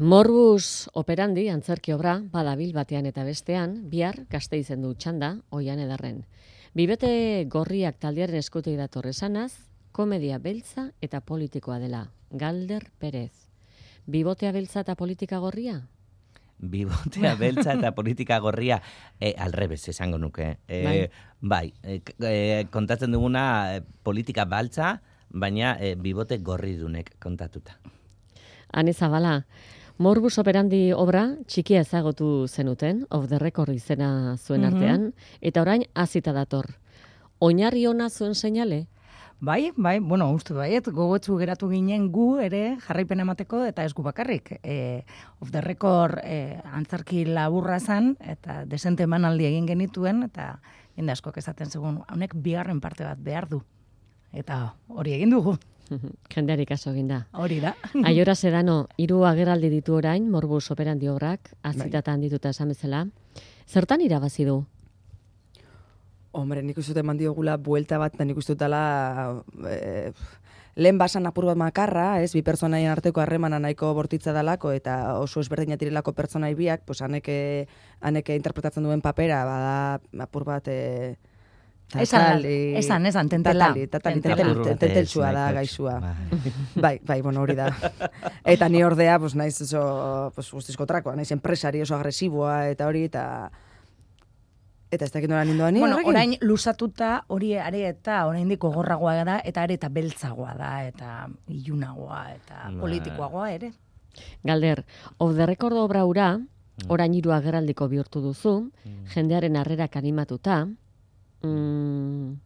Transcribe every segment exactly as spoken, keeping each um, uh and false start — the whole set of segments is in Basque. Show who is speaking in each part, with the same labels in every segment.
Speaker 1: Morbus operandi antzerki obra badabil batean eta bestean, bihar Gasteizen du txanda, Oian Ederren. Bibete gorriak taldearen eskutik dator esanaz, komedia beltza eta politikoa dela. Galder Perez. Bibotea beltza eta politika gorria?
Speaker 2: Bibotea beltza eta politika gorria, e, alrebez esango nuke. E, bai, bai e, e, kontatzen duguna e, politika baltza, baina e, bibote gorri dunek kontatuta.
Speaker 1: Ane Zabala, Morbus operandi obra txikia ezagotu zenuten, Off the Record izena zuen artean, mm-hmm. eta orain azita dator. Oinarri ona zuen seinale?
Speaker 3: Bai, bai, bueno, uste baiet, gogotsu geratu ginen gu ere jarraipen emateko eta ez gu bakarrik. E, Off the Record e, antzarki laburra zan, eta desente emanaldi egin genituen, eta jende askok esaten segun, honek bigarren parte bat behar du. Eta hori egin dugu.
Speaker 1: Jendeari kaso egin da.
Speaker 3: Hori da.
Speaker 1: Aiora Sedano, hiru agerraldi ditu orain, Morbus operandi obrak, azitatan dituta esan bezala. Zertan irabazi du?
Speaker 4: Hombre, nik uste eman diogula buelta bat, nik uste dutala e, lehen basan apur bat makarra, ez, bi pertsonaien arteko harremana nahiko bortitza dalako, eta oso ezberdinak direlako pertsonai biak, pues haneke, haneke interpretatzen duen papera, bada apur bat... E,
Speaker 3: Esan, esan, esan, tentela.
Speaker 4: Tatali, tenteltsua da, gaixua. Bai, bai, bueno, hori da. Eta ni ordea, pues, naiz oso, pues, guztizko trakoa, naiz enpresari oso agresiboa, eta hori, eta... Eta ez dakit nola nindoan ni.
Speaker 3: Bueno, orain lusatuta hori are eta oraindik gogorragoa da, eta are eta beltzagoa da, eta ilunagoa, eta politikoagoa ere.
Speaker 1: Galder, Off the Record obra hura, orain hiru agerraldiko bihurtu duzu, jendearen harrerak animatuta. Mm,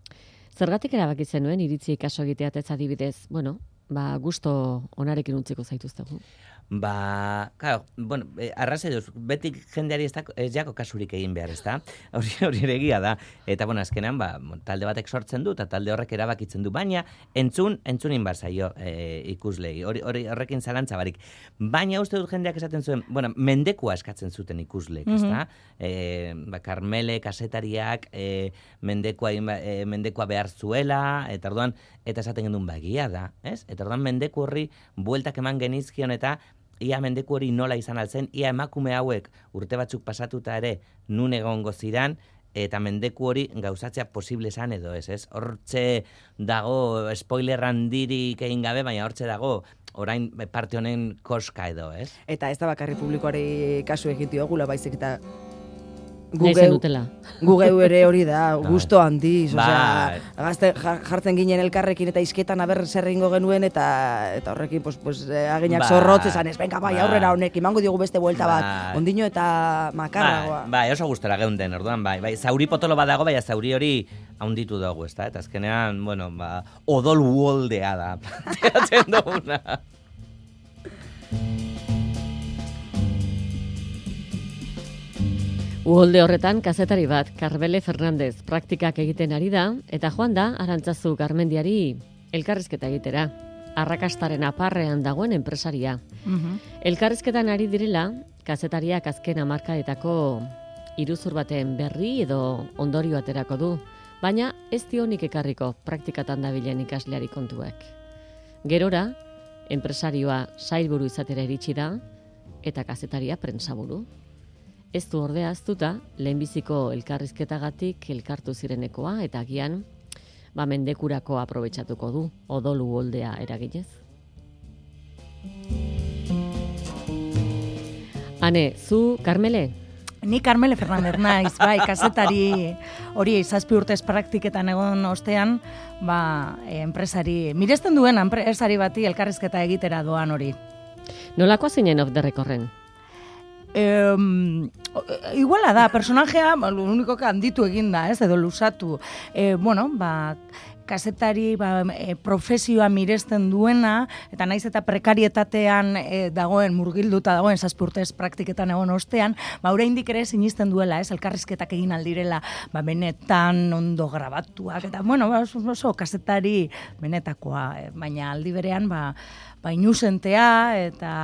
Speaker 1: zergatik erabaki zenuen iritzi kaso egiteat ez adibidez, bueno, ba, gusto onarekin utziko zaituztegu.
Speaker 2: Ba, claro, bueno, eh, arrazai duz, beti jendeari ez, da, ez jako kasurik egin behar, ez da? Hori hori egia da. Eta, bueno, azkenean, ba, talde batek sortzen du, eta talde horrek erabakitzen du, baina entzun, entzunin bar zaio e, ikuslei, hori, hori horrekin zalantza barik. Baina uste dut jendeak esaten zuen, bueno, mendekua eskatzen zuten ikusleek, ez da? E, ba, Karmele, kasetariak, e, mendekua, e, mendekua behar zuela, eta orduan, eta esaten gendun, ba, egia da, ez? Eta orduan mendeku horri bueltak eman genizkion, eta ia mendeku hori nola izan altzen, ia emakume hauek urte batzuk pasatuta ere nun egongo ziran, eta mendeku hori gauzatzea posible esan edo ez, ez? Hortxe dago, spoiler handirik egin gabe, baina hortxe dago, orain parte honen koska edo, ez?
Speaker 4: Eta ez da bakarri publikoari kasu egin diogula, baizik eta Gugeu ere hori da, gusto handiz, osea, gazte jartzen ginen elkarrekin eta izketan aber zer egingo genuen eta eta horrekin pues pues aginak zorrotz esan ez, venga bai, aurrera honek imango diogu beste buelta bat, ondino eta makarragoa.
Speaker 2: Bai, oso gustora geunden, orduan bai, bai, zauri potolo badago, bai, zauri hori handitu dugu, ezta? Eta azkenean, bueno, ba, odol uoldea da, planteatzen duguna.
Speaker 1: Uholde horretan, kazetari bat, Karbele Fernandez, praktikak egiten ari da, eta joan da, Arantzazu Garmendiari elkarrizketa egitera. Arrakastaren aparrean dagoen enpresaria. Uh-huh. Elkarrizketan ari direla, kazetariak azken hamarkadetako iruzur baten berri edo ondorio aterako du, baina ez dionik ekarriko praktikatan dabilen ikasleari kontuek. Gerora, enpresarioa sailburu izatera iritsi da, eta kazetaria prentsaburu. Ez du ordea aztuta, lehenbiziko elkarrizketagatik elkartu zirenekoa, eta agian, ba, mendekurako aprobetxatuko du, odolu holdea eraginez. Ane, zu, Karmele?
Speaker 3: Ni Karmele Fernandez naiz, bai, kazetari hori zazpi urtez praktiketan egon ostean, ba, enpresari, miresten duen enpresari bati elkarrizketa egitera doan hori.
Speaker 1: Nolakoa zinen Off the Recorden?
Speaker 3: Eh, iguala da, personajea, lo único que handitu egin da, ez, edo lusatu. Eh, bueno, ba, kazetari ba, e, profesioa miresten duena, eta naiz eta prekarietatean e, dagoen, murgilduta dagoen, zazpurtez praktiketan egon ostean, ba, oraindik ere sinisten duela, ez, elkarrizketak egin aldirela, ba, benetan ondo grabatuak, eta, bueno, ba, oso, oso kazetari benetakoa, e, baina aldi berean, ba, ba, inusentea, eta,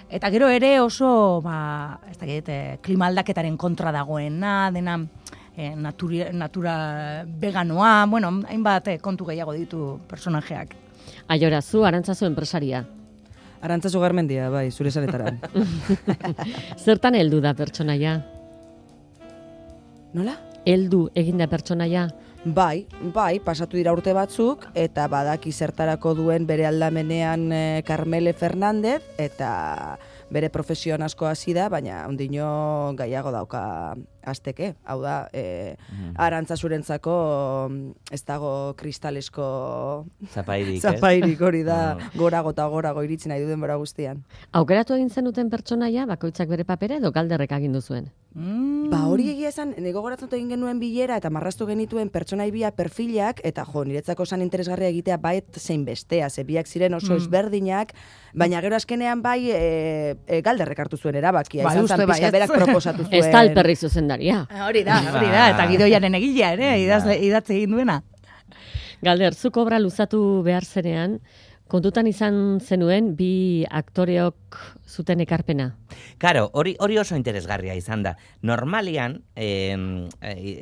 Speaker 3: eta gero ere oso, ba, ez dakit, klima aldaketaren kontra dagoena, dena, E, natura, natura veganoa, bueno, hainbat kontu gehiago ditu personajeak.
Speaker 1: Aiora, zu Arantzazu enpresaria.
Speaker 4: Arantzazu Garmendia, bai, zure zanetara.
Speaker 1: Zertan heldu da pertsonaia?
Speaker 4: Nola?
Speaker 1: Heldu eginda pertsonaia?
Speaker 4: Bai, bai, pasatu dira urte batzuk, eta badaki zertarako duen bere aldamenean eh, Carmele Fernández, eta bere profesioan asko hasi da, baina ondino gaiago dauka azteke. Hau da, e, mm. Arantzazurentzako ez dago kristalesko
Speaker 2: zapairik,
Speaker 4: zapairik hori da,
Speaker 2: no.
Speaker 4: gorago eta gorago iritsi nahi du denbora guztian.
Speaker 1: Aukeratu egin zenuten pertsonaia, bakoitzak bere papera edo galderrek agindu zuen?
Speaker 4: Mm. Ba hori egia esan, nego goratzen egin genuen bilera eta marraztu genituen pertsonai bia perfilak, eta jo, niretzako zan interesgarria egitea bait zein bestea, ze biak ziren oso mm. ezberdinak, baina gero azkenean bai e, e, galderrek hartu zuen erabakia,
Speaker 3: ba,
Speaker 4: izan zan pixka berak proposatu zuen.
Speaker 1: Ez da alperri zuzendaria.
Speaker 3: Hori da, hori da, eta gidoiaren egilea ere, idazle, idatze egin duena.
Speaker 1: Galder, zuk obra luzatu behar zenean, kontutan izan zenuen bi aktoreok zuten ekarpena?
Speaker 2: Karo, hori hori oso interesgarria izan da. Normalian, eh,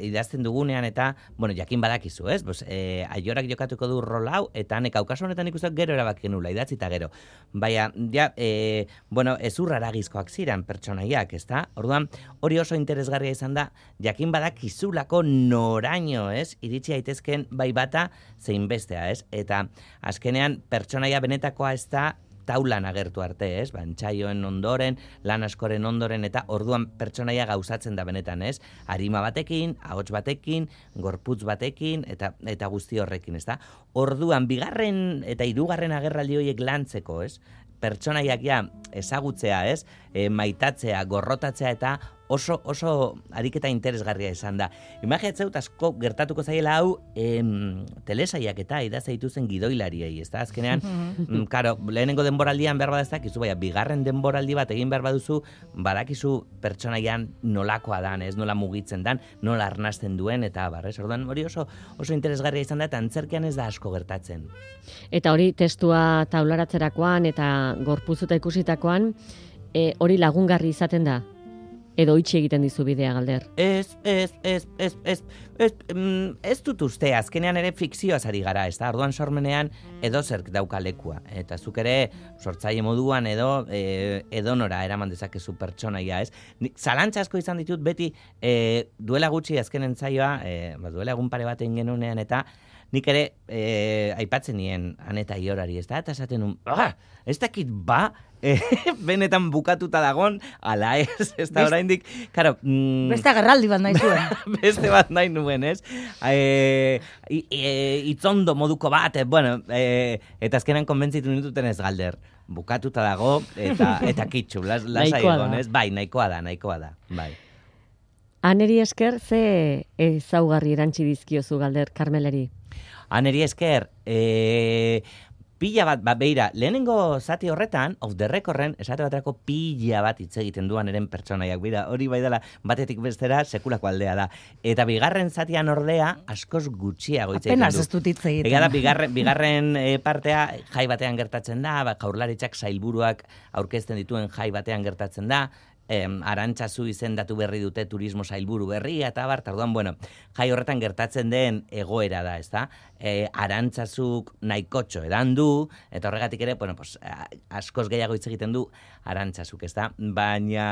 Speaker 2: idazten dugunean eta, bueno, jakin badakizu, ez? Pues, eh, aiorak jokatuko du rol hau, eta nek aukaso honetan ikusten gero erabaki nula, idatzi eta gero. Baina, ja, eh, bueno, ezurra aragizkoak ziren pertsonaiak, ezta? Orduan, hori oso interesgarria izan da, jakin badakizulako noraino, ez? Iritsi daitezken bai bata zein bestea, ez? Eta azkenean pertsonaia benetakoa ez da taulan agertu arte, ez? Ba, entsaioen ondoren, lan askoren ondoren, eta orduan pertsonaia gauzatzen da benetan, ez? Arima batekin, ahots batekin, gorputz batekin, eta eta guzti horrekin, ez da? Orduan, bigarren eta hirugarren agerraldi horiek lantzeko, ez? Pertsonaiak ja ezagutzea, ez? E, maitatzea, gorrotatzea eta oso oso ariketa interesgarria izan da. Imaginatzen dut asko gertatuko zaiela hau em, telesaiak eta idazte dituzen gidoilariei, ezta? Azkenean, mm, karo, lehenengo denboraldian behar bada ez dakizu, baina bigarren denboraldi bat egin behar baduzu, badakizu pertsonaian nolakoa dan, ez? Nola mugitzen dan, nola arnasten duen, eta bar, ez? Orduan, hori oso oso interesgarria izan da, eta antzerkian ez da asko gertatzen.
Speaker 1: Eta hori testua taularatzerakoan eta gorpuzuta ikusitakoan, e, hori lagungarri izaten da? Edo itxi egiten dizu bidea, Galder?
Speaker 2: Ez, ez, ez, ez, ez, ez, mm, ez dut uste, azkenean ere fikzioaz ari gara, ez da, orduan sormenean edo zerk dauka lekua. Eta zuk ere sortzaile moduan edo e, edonora eraman dezakezu pertsonaia, ez? Zalantza asko izan ditut beti e, duela gutxi azkenen zaioa, e, ba, duela egun pare bat egin genunean, eta nik ere e, aipatzen nien Aneta Iorari, ez da? Eta esaten un, ah, ez dakit ba, e, benetan bukatuta dagon, ala ez, ez da oraindik, karo... Mm,
Speaker 3: beste agerraldi bat nahi zuen.
Speaker 2: Beste bat nahi nuen, ez? E, e, itzondo moduko bat, e, bueno, e, eta azkenan konbentzitu nituten ez, Galder. Bukatuta dago, eta, eta kitxu, las, lasai egon, ez? Bai, nahikoa da, nahikoa da, bai.
Speaker 1: Aneri esker, ze ezaugarri erantzi dizkiozu, Galder, Karmeleri?
Speaker 2: Aneri esker, e, pila bat, ba, beira, lehenengo zati horretan, off the recordren, esate baterako pila bat hitz egiten duan eren pertsonaiak, bira, hori bai dela, batetik bestera, sekulako aldea da. Eta bigarren zatian ordea, askoz gutxiago hitz egiten du.
Speaker 3: Apenas ez dut hitz egiten.
Speaker 2: Ega da, bigarren, bigarren e, partea, jai batean gertatzen da, ba, Jaurlaritzak sailburuak aurkezten dituen jai batean gertatzen da, Em, Arantzazu izendatu berri dute turismo sailburu berria, eta bar, orduan, bueno, jai horretan gertatzen den egoera da, ez da? E, Arantzazuk nahikotxo edan du, eta horregatik ere, bueno, pues, askoz gehiago hitz egiten du Arantzazuk, ez da? Baina...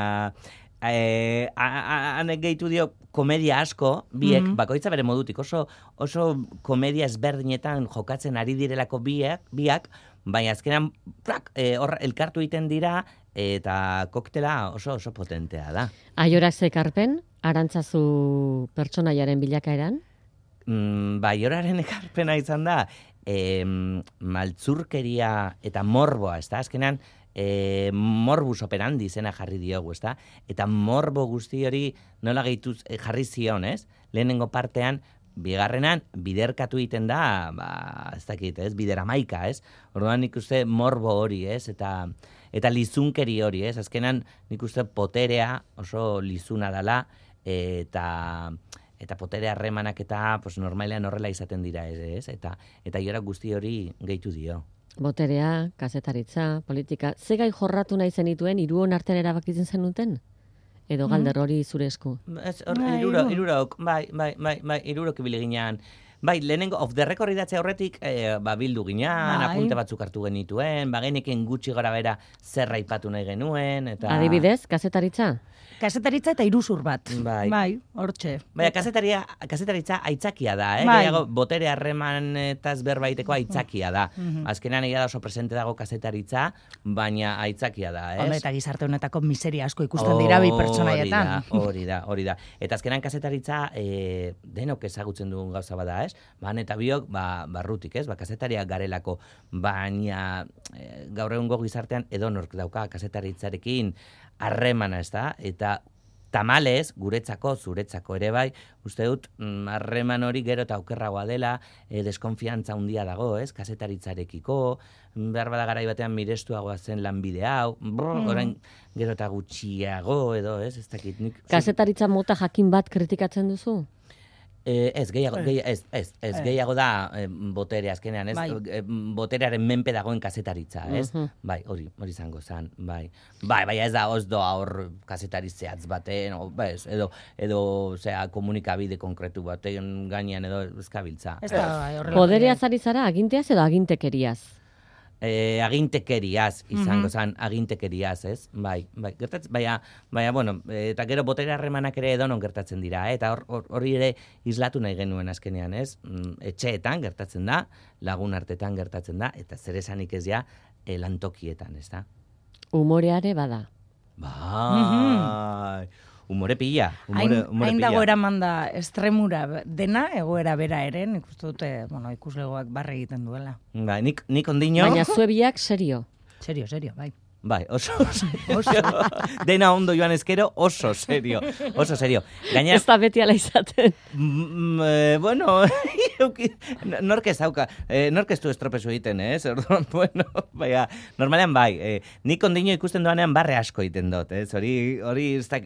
Speaker 2: Eh, hanek gehitu dio komedia asko, biek, mm-hmm. bakoitza bere modutik, oso, oso komedia ezberdinetan jokatzen ari direlako biak, biak baina azkenan plak, eh, hor, elkartu egiten dira, eta koktela oso oso potentea da.
Speaker 1: Aiorak zekarpen, Arantzazu pertsonaiaren bilakaeran?
Speaker 2: Mm, ba, Aioraren ekarpena izan da, eh, maltzurkeria eta morboa, ez da, azkenan, E, morbus operandi zena jarri diogu, ezta? Eta morbo guzti hori nola gehituz jarri zion, ez? Lehenengo partean, bigarrenan, biderkatu egiten da, ba, ez dakit, ez? Bideramaika, ez? Orduan nik uste morbo hori, ez? Eta, eta lizunkeri hori, ez? Azkenan nik uste poterea oso lizuna dela, eta... eta potere harremanak eta pues, normalean horrela izaten dira, ez? Eta, eta Aiorak guzti hori gehitu dio.
Speaker 1: Boterea, kazetaritza, politika, ze gai jorratu nahi zenituen, hiruon artean erabakitzen zenuten? Edo Galder hori zure esku?
Speaker 2: Ez, or, iruro, irurok, bai, bai, bai, bai, irurok ibili ginean. Bai, lehenengo off the record idatzea horretik, e, ba, bildu ginean,
Speaker 3: Bai.
Speaker 2: apunte batzuk hartu genituen, ba, geneken gutxi gora bera zer aipatu nahi genuen, eta...
Speaker 1: Adibidez, kazetaritza?
Speaker 3: Kasetaritza eta iruzur bat.
Speaker 2: Bai.
Speaker 3: Bai, hortxe.
Speaker 2: Baina, kazetaria, kazetaritza aitzakia da, eh?
Speaker 3: Bai.
Speaker 2: Gehiago, botere harremanetaz berbaiteko aitzakia da.
Speaker 3: Mhm.
Speaker 2: Azkenan egia da oso presente dago kazetaritza, baina aitzakia da, ez?
Speaker 3: Hombre, eta gizarte honetako miseria asko ikusten dira bi pertsonaietan.
Speaker 2: Hori da, hori da, hori da. Eta azkenan kazetaritza e, denok ezagutzen dugun gauza bada, ez? Ban eta biok, ba, barrutik, ez? Ba, kazetariak garelako, baina e, gaur egungo gizartean edonork dauka kazetaritzarekin harremana, ez da? Eta tamalez, guretzako, zuretzako ere bai, uste dut, harreman hori gero eta okerragoa dela, e, deskonfiantza handia dago, ez? Kazetaritzarekiko, behar bada garai batean mirestuagoa zen lanbide hau, brr,
Speaker 3: Mm.
Speaker 2: orain gero eta gutxiago edo, ez? Ez dakit nik...
Speaker 1: Kazetaritza mota jakin bat kritikatzen duzu?
Speaker 2: Eh, ez, gehiago, gehi, ez, ez, ez,
Speaker 3: Eh.
Speaker 2: gehiago da eh, botere azkenean, ez?
Speaker 3: Bai.
Speaker 2: Eh, boterearen menpe dagoen kazetaritza, ez?
Speaker 1: Mhm.
Speaker 2: Bai, hori, hori izango zen, bai. Bai, bai, ez da, oz doa hor kazetari zehatz baten, o, bez, edo, edo, zera, komunikabide konkretu baten gainean edo ezkabiltza.
Speaker 3: Ez da, bai, horrela.
Speaker 1: Podereaz ari zara aginteaz edo agintekeriaz?
Speaker 2: Eh, agintekeriaz izango
Speaker 3: Mhm.
Speaker 2: zen, agintekeriaz, ez? Bai, bai, gertatzen, baina, baina, bueno, eh, eta gero botere harremanak ere edonon gertatzen dira, eh? Eta hor- hor- hori ere islatu nahi genuen azkenean, ez? Mm, etxeetan gertatzen da, lagun artetan gertatzen da, eta zer esanik ez ja, eh, lantokietan, ez da?
Speaker 1: Umoreare bada.
Speaker 2: Bai, umore pila, umore,
Speaker 3: Hain,
Speaker 2: umore
Speaker 3: hain dago
Speaker 2: pila.
Speaker 3: eraman da estremura dena, egoera bera ere, nik uste dute, bueno, ikuslegoak barre egiten duela.
Speaker 2: Bai, nik, nik ondino,
Speaker 1: Baina zuebiak serio.
Speaker 3: Serio, serio, bai.
Speaker 2: bai, oso, oso, dena ondo joan ezkero, oso serio, oso serio. Gaina,
Speaker 1: Ez da beti ala izaten.
Speaker 2: Mm, eh, bueno, nork ez dauka, eh, nork ez du estropezu egiten, ez? Orduan, bueno, baina, normalean bai, eh, nik ondino ikusten doanean barre asko egiten dut, ez? Hori, hori, ez da,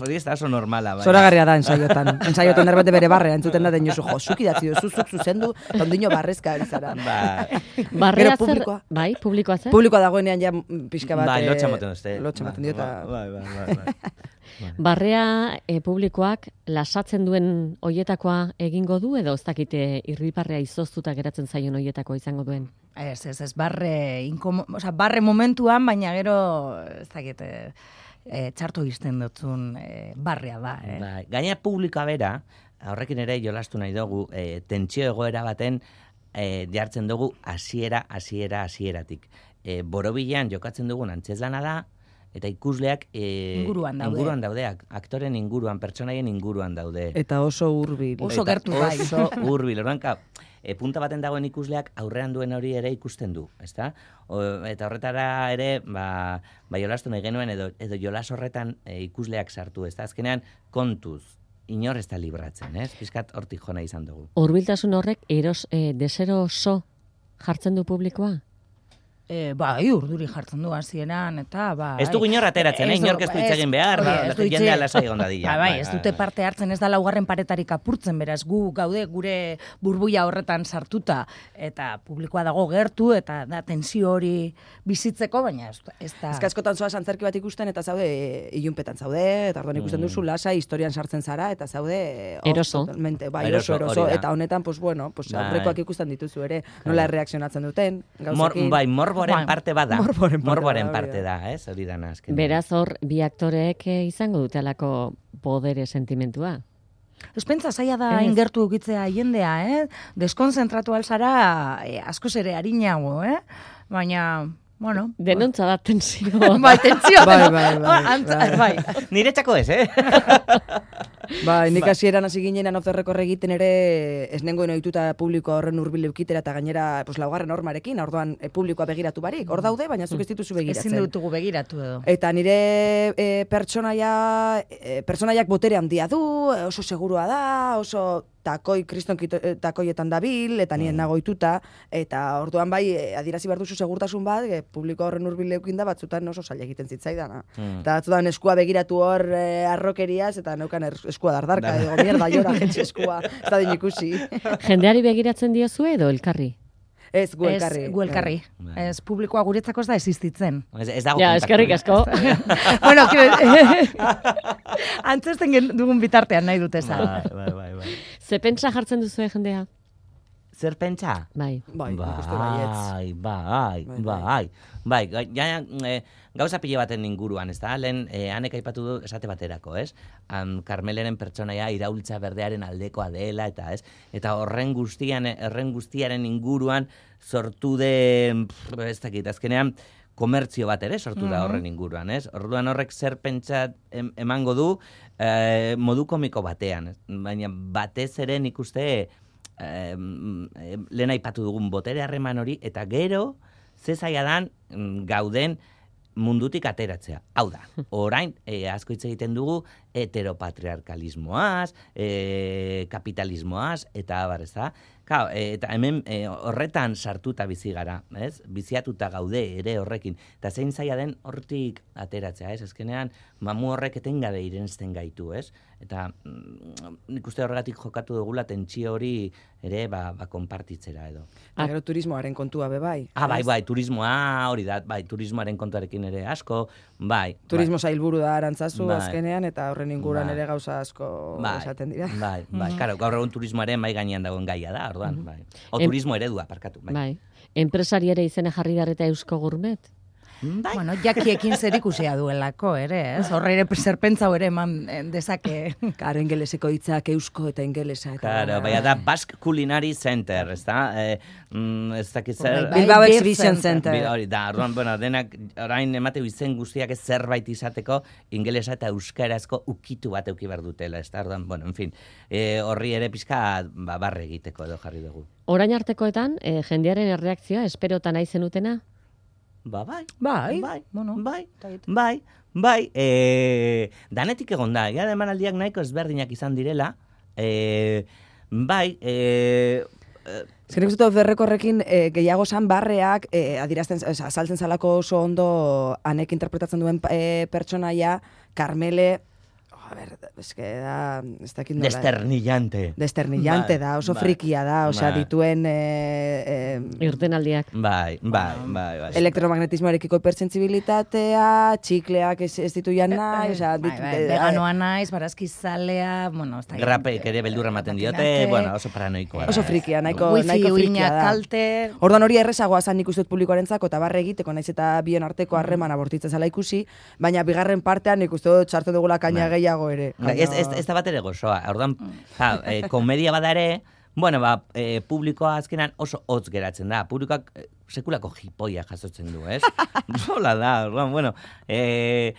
Speaker 2: hori ez da oso normala, bai.
Speaker 4: Zoragarria da ensaiotan. Ensaiotan derbete bere barrea entzuten da deinozu, jo, zuk idatzi duzu, zuk zuzendu, eta ondino barrezka ari zara.
Speaker 2: Bai,
Speaker 1: Barrea
Speaker 4: Gero
Speaker 1: zer,
Speaker 4: publikoa.
Speaker 1: bai, publikoa zer?
Speaker 4: Publikoa dagoenean ja mm, pixka bat...
Speaker 2: bai,
Speaker 4: eh,
Speaker 2: lotxa moten duzte.
Speaker 4: Lotxa moten dio, eta...
Speaker 2: Bai, bai, bai, bai. bai.
Speaker 1: Barrea e, publikoak lasatzen duen hoietakoa egingo du edo ez dakite irriparrea izoztuta geratzen zaion hoietakoa izango duen?
Speaker 3: Ez, ez, ez, barre, inkomo, oza, barre momentuan, baina gero, ez dakit, e, e, txarto izten dutzun e, barrea da, eh?
Speaker 2: Bai, gaina publikoa bera, horrekin ere jolastu nahi dugu, e, tentsio egoera baten e, jartzen dugu hasiera, hasiera, hasieratik. E, borobilean jokatzen dugun antzezlana da, eta ikusleak e,
Speaker 3: Inguruan daude.
Speaker 2: inguruan daude, ak- aktoren inguruan, pertsonaien inguruan daude.
Speaker 4: Eta oso hurbil.
Speaker 3: Oso
Speaker 2: Eta
Speaker 3: gertu, bai.
Speaker 2: Oso hurbil, orduan, ka, e, punta baten dagoen ikusleak aurrean duen hori ere ikusten du, ezta? O, eta horretara ere, ba, ba jolastu nahi genuen, edo, edo jolas horretan e, ikusleak sartu, ezta? Azkenean, kontuz, inor ez da libratzen, ez? Piskat hortik jona izan dugu.
Speaker 1: Hurbiltasun horrek eros e, desero so jartzen du publikoa?
Speaker 3: E, bai, urduri jartzen du hasieran eta bai.
Speaker 2: Ez dugu inor ateratzen, eh?
Speaker 3: Ez du-
Speaker 2: Inork ez du hitz egin behar,
Speaker 3: hori,
Speaker 2: ba,
Speaker 3: ez du hitz
Speaker 2: jendea
Speaker 3: egin-
Speaker 2: lasai egon dadila.
Speaker 3: Bai, bai,
Speaker 2: Bai,
Speaker 3: ez
Speaker 2: bai,
Speaker 3: dute
Speaker 2: bai.
Speaker 3: parte hartzen, ez da laugarren paretarik apurtzen, beraz gu gaude gure burbuia horretan sartuta eta publikoa dago gertu eta da tensio hori bizitzeko, baina ez, ez da...
Speaker 4: Ez que askotan zoaz antzerki bat ikusten eta zaude e, ilunpetan zaude, eta orduan ikusten duzu lasa historian sartzen zara eta zaude e, oso
Speaker 1: Eroso.
Speaker 4: totalmente, bai,
Speaker 2: Eroso,
Speaker 4: eroso, eroso,
Speaker 2: hori da.
Speaker 4: eta honetan pues bueno, pues
Speaker 2: Bai.
Speaker 4: aurrekoak ikusten dituzu ere, nola erreakzionatzen duten
Speaker 2: Mor,
Speaker 4: gauzekin.
Speaker 2: bai, morboren
Speaker 3: Bai.
Speaker 2: parte bada.
Speaker 4: Morboren parte
Speaker 2: Morboren
Speaker 4: da,
Speaker 2: parte
Speaker 4: hori
Speaker 2: da, ez? Hori dana azkenean.
Speaker 1: Beraz hor bi aktoreek e, izango dutelako podere sentimentua.
Speaker 3: Ez pentsa zaila da
Speaker 1: Ez.
Speaker 3: ingertu ukitzea jendea, eh? Deskonzentratu alzara eh, askoz ere harinago, eh? Baina, bueno...
Speaker 1: Denontza da tensioa.
Speaker 3: Bai, tentzioa.
Speaker 4: Bai,
Speaker 3: deno-
Speaker 4: bai, bai,
Speaker 3: Antza-
Speaker 4: bai.
Speaker 3: bai.
Speaker 2: Niretzako ez, eh?
Speaker 4: Bai, nik hasieran hasi ginenan off the record egiten ere ez nengoen ohituta publiko horren hurbil eukitera eta gainera pues laugarren hormarekin, orduan e, publikoa begiratu barik. Hor daude, baina zuk ez dituzu begiratzen.
Speaker 3: Ezin dutugu begiratu edo.
Speaker 4: Eta nire e, pertsonaia, e, pertsonaiak botere handia du, e, oso segurua da, oso takoi, kriston kito- e, takoietan dabil, eta nien nagoituta, eta orduan bai, e, adierazi behar duzu segurtasun bat, e, publiko horren hurbil eukin da, batzutan oso zaila egiten zitzaidana.
Speaker 2: Mm.
Speaker 4: Eta batzutan eskua begiratu hor e, arrokeriaz, eta neukan er, eskua dardarka,
Speaker 2: Da.
Speaker 4: digo, mierda, jora, jetxe eskua, ez da din ikusi.
Speaker 1: Jendeari begiratzen diozu edo elkarri?
Speaker 4: Ez, gu elkarri.
Speaker 3: Ez, gu elkarri.
Speaker 2: Bai.
Speaker 3: Ez, publikoa guretzako ez da existitzen.
Speaker 2: Ez, ez dago
Speaker 1: Ja,
Speaker 2: kontaktu.
Speaker 1: eskerrik asko.
Speaker 3: bueno, kire, antzesten gen- dugun bitartean nahi dute esan.
Speaker 2: Bai, bai, bai, bai.
Speaker 1: Ze pentsa jartzen duzu jendea?
Speaker 2: zer pentsa?
Speaker 1: Bai.
Speaker 4: Bai, nik uste baietz.
Speaker 2: Bai, bai,
Speaker 4: Bai,
Speaker 2: bai, bai, bai, ja, e, gauza pile baten inguruan, ez da? Lehen, e, hanek aipatu du esate baterako, ez? Um, Karmeleren pertsonaia iraultza berdearen aldekoa dela, eta ez? Eta horren guztian, horren guztiaren inguruan sortu den, pff, ez dakit, azkenean, komertzio bat ere sortu da horren inguruan, ez? Orduan horrek zer pentsat em, emango du eh, modu komiko batean, ez? Baina batez ere nik uste eh, lehen aipatu dugun botere harreman hori, eta gero, ze zaila dan gauden mundutik ateratzea. Hau da, orain eh, asko hitz egiten dugu heteropatriarkalismoaz, eh, kapitalismoaz, eta abar, ez da? Claro, e, eta hemen e, horretan sartuta bizi gara, ez? Biziatuta gaude ere horrekin. Eta zein zaila den hortik ateratzea, ez? Azkenean, mamu horrek etengabe irensten gaitu, ez? Eta mm, nik uste horregatik jokatu dugula tentsio hori ere ba, ba konpartitzera edo.
Speaker 4: Eta gero turismoaren kontua be bai.
Speaker 2: Ah, bai, bai, turismoa hori da, bai, turismoaren kontuarekin ere asko, bai.
Speaker 4: Turismo
Speaker 2: bai.
Speaker 4: sailburu da Arantzazu
Speaker 2: Bai.
Speaker 4: azkenean, eta horren inguruan
Speaker 2: Bai.
Speaker 4: ere gauza asko
Speaker 2: Bai,
Speaker 4: esaten dira.
Speaker 2: bai, bai, karo, gaur egun turismoaren mai gainean dagoen gaia da, orduan, bai. O
Speaker 1: Em-
Speaker 2: turismo eredua, parkatu, bai.
Speaker 1: Bai. Enpresari ere izena jarri darreta Eusko Gourmet.
Speaker 2: Bai.
Speaker 3: Bueno, jakiekin zer ikusia duelako, ere, ez? Horre ere zerpentza ere eman eh, dezake.
Speaker 4: Karo ingeleseko hitzak eusko eta ingelesa. Eta
Speaker 2: Claro, baina da Basque Culinary Center, ez da? Eh, mm, ez dakit zer...
Speaker 3: Bai,
Speaker 4: Bilbao
Speaker 3: Beer
Speaker 4: Exhibition
Speaker 3: Center.
Speaker 4: Center.
Speaker 2: Bi- Hori da, orduan, bueno, denak orain emateu izen guztiak ez zerbait izateko ingelesa eta euskarazko ukitu bat euki behar dutela, ez da? Orduan, bueno, en fin, eh, horri ere pizka ba, barre egiteko edo jarri dugu.
Speaker 1: Orain artekoetan, eh, jendearen erreakzioa esperota nahi zenutena?
Speaker 2: Ba, bai,
Speaker 3: Bai,
Speaker 2: bai,
Speaker 3: bueno,
Speaker 2: bai, bai, bai, eh, danetik egon da, ja, emanaldiak nahiko ezberdinak izan direla, eh, bai, eh,
Speaker 4: Ez que nik uste dut berrekorrekin e, gehiago san barreak e, adirazten, o sea, azaltzen zalako oso ondo anek interpretatzen duen e, pertsonaia, Carmele, oh, a ver, es que da, ez dakit nola.
Speaker 2: desternillante.
Speaker 4: Desternillante
Speaker 2: Bai,
Speaker 4: da, oso
Speaker 2: bai,
Speaker 4: frikia da, osea,
Speaker 2: bai.
Speaker 4: dituen e, e,
Speaker 1: Irtenaldiak.
Speaker 2: Bai, bai, bai, bai.
Speaker 4: elektromagnetismoarekiko hipersentsibilitatea, txikleak ez, ez ditu jan nahi, osea,
Speaker 3: Bai,
Speaker 4: dit-
Speaker 3: bai,
Speaker 4: e,
Speaker 3: veganoa naiz, barazkizalea, bueno, ez da.
Speaker 2: Grapek ere beldurra ematen diote,
Speaker 3: Patinate.
Speaker 2: bueno, oso paranoikoa. da,
Speaker 4: oso
Speaker 2: ez.
Speaker 4: frikia, nahiko,
Speaker 3: Wifi
Speaker 4: nahiko frikia
Speaker 3: uinak
Speaker 4: da.
Speaker 3: kalte.
Speaker 4: Orduan hori errezagoa zan nik uste dut publikoarentzako eta barre egiteko naiz eta bion arteko harremana bortitzen zala ikusi, baina bigarren partean nik uste dut txartu dugula kaina
Speaker 2: Bai.
Speaker 4: gehiago ere.
Speaker 2: Bai, Ez, ez, ez da bat ere gozoa. Orduan, ja, e, komedia bada ere, bueno, ba, e, publikoa azkenan oso hotz geratzen da. Publikoak e, sekulako jipoia jasotzen du, ez? Zola da, orduan, bueno, e,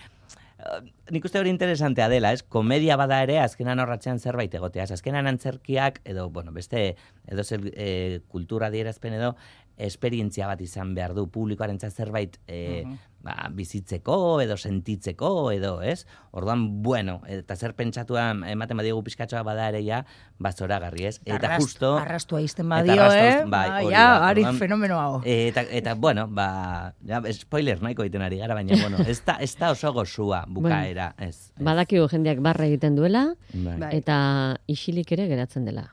Speaker 2: nik uste hori interesantea dela, ez? Komedia bada ere, azkenan horratzean zerbait egotea. Azkenan antzerkiak, edo, bueno, beste, edo zer e, kultura adierazpen edo, esperientzia bat izan behar du publikoarentzat zerbait e, ba, bizitzeko edo sentitzeko edo, ez? Orduan, bueno, eta zer pentsatua ematen badiegu pizkatxoa bada ere ja, ba zoragarri, ez? Eta
Speaker 3: Arrast-
Speaker 2: justo...
Speaker 3: Arrastua izten
Speaker 2: eta
Speaker 3: badio,
Speaker 2: arrastoz-
Speaker 3: eh?
Speaker 2: bai,
Speaker 3: Ba,
Speaker 2: hori
Speaker 3: ja,
Speaker 2: da,
Speaker 3: ari
Speaker 2: orduan-
Speaker 3: fenomeno hau.
Speaker 2: Eta, eta, bueno, ba, ja, spoiler nahiko egiten ari gara, baina, bueno, ez da, ez da oso gozua bukaera, ez. ez.
Speaker 1: Badakigu jendeak barre egiten duela,
Speaker 2: Bai.
Speaker 4: Bai.
Speaker 1: eta isilik ere geratzen dela.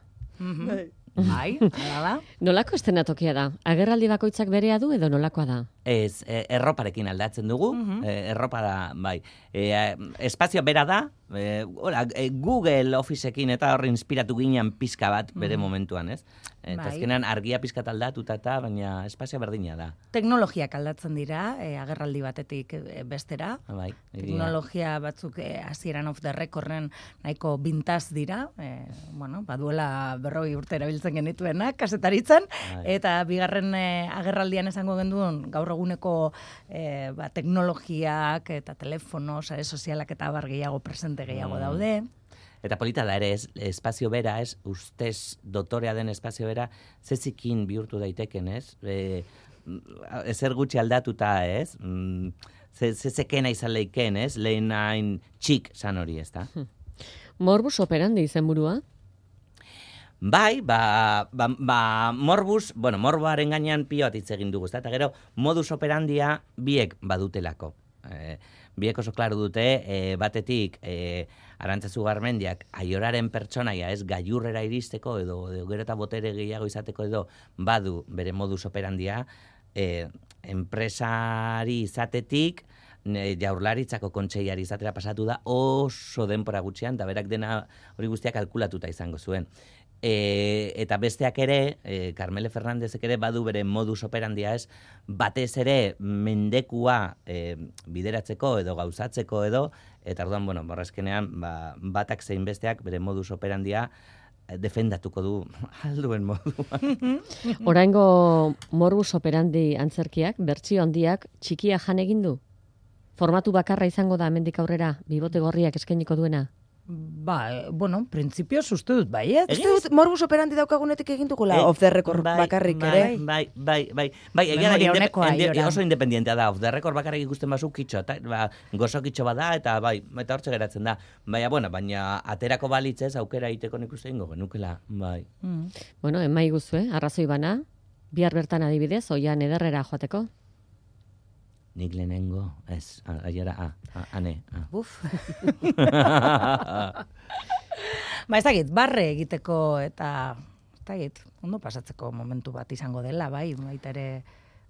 Speaker 3: Bai, hala da.
Speaker 1: Nolako estenatokia da? Agerraldi bakoitzak berea du edo nolakoa da?
Speaker 2: Ez, e, erroparekin aldatzen dugu, e, erropa da, bai. E, espazio bera da, e, ora, e, Google Officeekin eta horre inspiratu ginen pizka bat bere momentuan, ez? Eta
Speaker 3: Bai.
Speaker 2: azkenan argia pizkat aldatuta eta, baina espazio berdina da.
Speaker 3: Teknologiak aldatzen dira, eh, agerraldi batetik eh, bestera.
Speaker 2: Bai, egia.
Speaker 3: Teknologia batzuk eh, hasieran off the recorden nahiko bintaz dira, eh, bueno, baduela berroi urte erabiltzen genituenak, kasetaritzen,
Speaker 2: Bai.
Speaker 3: eta bigarren eh, agerraldian esango genduen gaur eguneko eh, ba, teknologiak eta telefono, sare sozialak eta bar gehiago presente gehiago
Speaker 2: Mm.
Speaker 3: daude.
Speaker 2: Eta polita da ere, ez, espazio bera, ez, ustez dotorea den espazio bera, zezikin bihurtu daiteken, ez? E, ezer gutxi aldatuta, ez? Mm, ze, zezekena izan leiken, ez? Lehen hain txik zan hori, ez da?
Speaker 1: Morbus operandi izenburua?
Speaker 2: Bai, ba, ba, ba morbus, bueno, morboaren gainean pio bat hitz egin dugu, ezta? Eta gero modus operandia biek badutelako. E, biek oso klaru dute, e, batetik e, Arantzazu Garmendiak aioraren pertsonaia ez gailurrera iristeko edo, edo gero eta botere gehiago izateko edo badu bere modus operandia, e, enpresari izatetik ne, Jaurlaritzako kontseiari izatera pasatu da oso denpora gutxian, eta berak dena hori guztiak kalkulatuta izango zuen. E, eta besteak ere, e, Carmele Fernandezek ere badu bere modus operandia ez, batez ere mendekua e, bideratzeko edo gauzatzeko edo, eta orduan, bueno, borrazkenean, ba, batak zein besteak bere modus operandia defendatuko du alduen moduan.
Speaker 1: Oraingo morbus operandi antzerkiak, bertsio handiak, txikia jan egin du? Formatu bakarra izango da hemendik aurrera, bibote gorriak eskainiko duena?
Speaker 3: Ba, bueno, printzipioz uste dut, bai, ez?
Speaker 4: Uste dut, morbus operandi daukagunetik egin dugula,
Speaker 2: Eh,
Speaker 4: off the record
Speaker 2: bai,
Speaker 4: bakarrik
Speaker 2: bai,
Speaker 4: ere.
Speaker 2: Bai, bai, bai, bai, egia da,
Speaker 3: Memoria
Speaker 2: indep-
Speaker 3: onekoa,
Speaker 2: inde-
Speaker 3: Aiora.
Speaker 2: oso independientea da, off the record bakarrik ikusten bazu kitxo, eta, ba, gozo kitxo bada, eta bai, eta hortxe geratzen da. Baina, bueno, baina aterako balitzez aukera egiteko nik uste ingo genukela, bai.
Speaker 3: Mm.
Speaker 1: Bueno, emai guzue, arrazoi bana, bihar bertan adibidez, oian ederrera joateko.
Speaker 2: Nik lehenengo, ez, a- aiora, a, a, ane, a.
Speaker 3: Buf. Ba, ez dakit, barre egiteko eta, ez dakit, ondo pasatzeko momentu bat izango dela, bai, baita ere,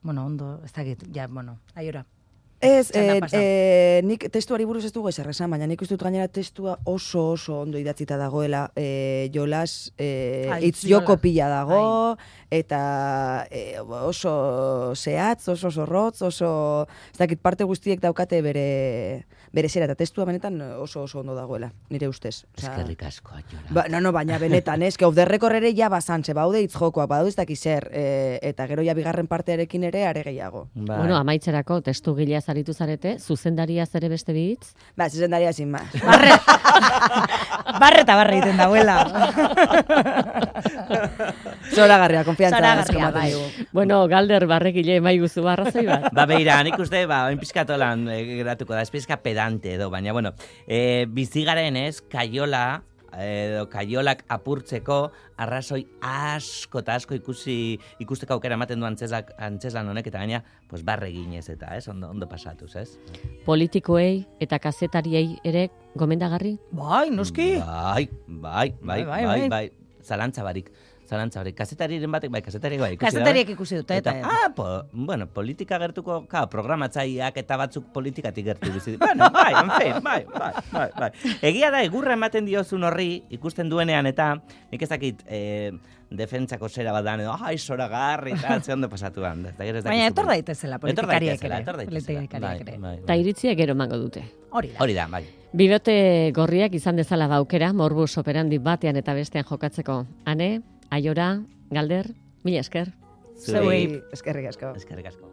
Speaker 3: bueno, ondo, ez dakit, ja, bueno, aiora.
Speaker 4: Ez,
Speaker 3: Txanda
Speaker 4: eh,
Speaker 3: pasa.
Speaker 4: eh, nik testuari buruz ez dugu ezer esan, baina nik uste dut gainera testua oso oso ondo idatzita dagoela, eh, jolas, eh,
Speaker 3: Ah,
Speaker 4: hitz
Speaker 3: hitz jolas.
Speaker 4: joko pila dago, eta eh, oso zehatz, oso zorrotz, oso, ez dakit parte guztiek daukate bere, bere zera, eta testua benetan oso oso ondo dagoela, nire ustez. Osea,
Speaker 2: Eskerrik asko, aiora.
Speaker 4: Ba, no, no, baina benetan, ez, que off the record ere ja bazantze, baude hitz jokoak, badaude ez dakiz zer, eh, eta gero ja bigarren partearekin ere are gehiago.
Speaker 2: Bai.
Speaker 1: Bueno, amaitzerako testu gilea zaritu zarete, zuzendariaz ere beste bitz.
Speaker 4: Ba, zuzendaria sin más.
Speaker 3: Barre, barre eta barre egiten dauela.
Speaker 4: Zoragarria, konfiantza.
Speaker 3: Zoragarria,
Speaker 4: eskematen
Speaker 3: bai.
Speaker 4: digu.
Speaker 1: Bueno, galder barrekile emai guzu arrazoi bat.
Speaker 2: Ba, beira, nik uste, ba, oin pizkatolan e, geratuko da, ez pizka pedante edo, baina, bueno, e, bizigaren ez, kaiola, edo kaiolak apurtzeko arrazoi asko eta asko ikusi ikusteko aukera ematen du antzeslak, antzeslan honek, eta gaina, pues barre ginez eta, ez, ondo, ondo pasatuz, ez?
Speaker 1: Politikoei eta kazetariei ere gomendagarri?
Speaker 3: Bai, noski.
Speaker 2: Bai, bai, bai,
Speaker 3: Bai, bai,
Speaker 2: bai,
Speaker 3: bai.
Speaker 2: bai, zalantza barik. Zalantza barik. Kazetariren batek, bai, kazetariek bai. ikusi da,
Speaker 3: Kazetariek
Speaker 2: bai.
Speaker 3: ikusi dute,
Speaker 2: Eta,
Speaker 3: eta-
Speaker 2: ah, po, bueno, politika gertuko, ka, programatzaileak eta batzuk politikatik gertu bizi. Bueno, bai, en fin, bai, bai, bai, bai. Egia da, egurra ematen diozun horri, ikusten duenean, eta nik ez dakit, eh, defentsako zera bat dan, edo, ai, zoragarri, eta ze ondo pasatu han. Eta gero ez dakit
Speaker 3: Baina
Speaker 2: zure-
Speaker 3: etor daitezela
Speaker 2: Etor
Speaker 3: politikariek
Speaker 2: daitezela,
Speaker 3: ere.
Speaker 2: etor daitezela.
Speaker 3: Politikariek ere.
Speaker 2: Bai, bai,
Speaker 1: Eta
Speaker 2: bai.
Speaker 1: iritziek gero emango dute.
Speaker 3: Hori da.
Speaker 2: Hori da, bai.
Speaker 1: Bibote gorriak izan dezala baukera, morbus operandi batean eta bestean jokatzeko. Ane, Aiora, Galder, mila esker.
Speaker 2: Zuei,
Speaker 4: Eskerrik asko.
Speaker 2: eskerrik asko.